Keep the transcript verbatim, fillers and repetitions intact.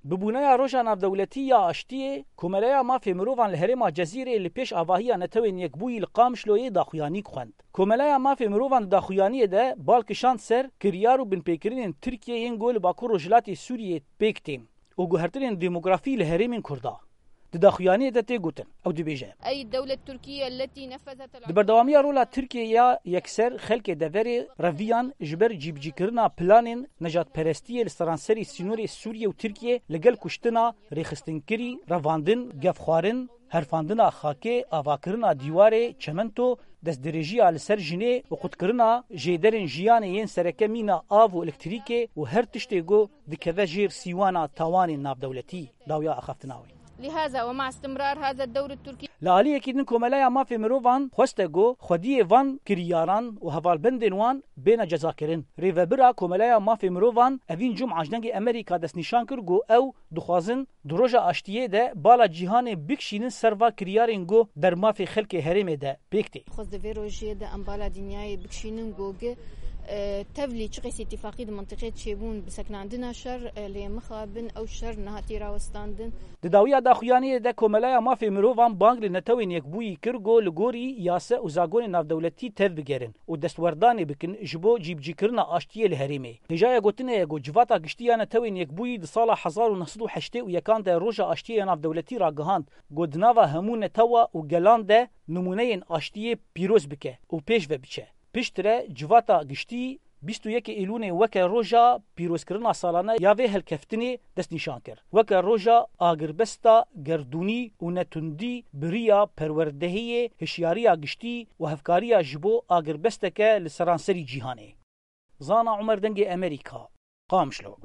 Bi bûneya Roja Navdewletî ya Aştiyê, Komeleya Mafê Mirovan li herêma Cezîrê li pêş avahiya Netewên Yekbûyî li Qamişloyê daxuyanîk xwend. Komeleya Mafê Mirovan di daxuyaniyê de bal kişand ser kiryar û binpêkirinên Tirkiyê yên ku li Bakur Rojhilatê Sûriyê pêk tên û guhertinên demografî li herêmên Kurda. Di daxuyaniyê de tê gotin, ew dibêje. أي الدولة التركية التي نفذت Di berdewamiya rola Tirkiyê ya yekser xelkê deverê reviyan ji ber cîbicîkirina planên nejadperestiyê li seranserî sînorê Sûriye û Tirkiyê li gel kuştina, rêxistinkirî, revandin, gefxwarin, herfandina xakê, avakirina dîwarê, çemento, destdirêjiya li ser jinê û qutkirina jêderên jiyanê yên sereke mîna av û elektrîkê û her tiştê ku dikeve jêr sîwana tawanên navdewletî, dawiya axaftina wê. لهذا ومع استمرار هذا الدور التركي Li aliyekî din Komeleya Mafê Mirovan xweste ku xwediyê van kiryaran û hevalbendên wan bêne cezakirin. Rêvebira Komeleya Mafê Mirovan Evîn Cuma ji Dengê Amerîka destnîşan kir ku ew dixwazin di Roja Aştiyê de bala cîhanê bikişînin ser va kiryarên ku der mafê xelkê herêmê de pêk tê. Xwest di vê rojiyê de em bala dinyayê bikişînin ku gi, e, tevlî çi qas îtîfaqî di mintîqê çêbûn bi seknandina şer, e, lê mixabin ew şer nehatî rawestandin. Di dawiya daxuyaniyê de Komeleya Mafê Mirovan bang li Netewên Yekbûyî kir ku li gorî yase û zagonên navdewletî tev bigerin û destwerdanê bikin ji bo cîbicîkirina aştiyê li herêmê. Hêjaya gotinê ye ku Civata Giştî ya Netewên Yekbûyî di sala hezar û neh sed û heştê û yekan de Roja Aştiyê ya Navdewletî ragihand ku di nava hemû netewa û gelan de nimûneyên aştiyê pîroz bike û pêş ve biçe. Piştre Civata Giştî bîst û yekê Îlûnê weke roja pîrozkirina salane ya vê helkeftinê destnîşan kir. Weke roja agirbesta gerdûnî û netundî bi riya perwerdehiyê, hişyariya giştî û hevkariya ji bo agirbesteke li seranserî cîhanê. Zana Umer, Dengê Amerîka, Qamişlo.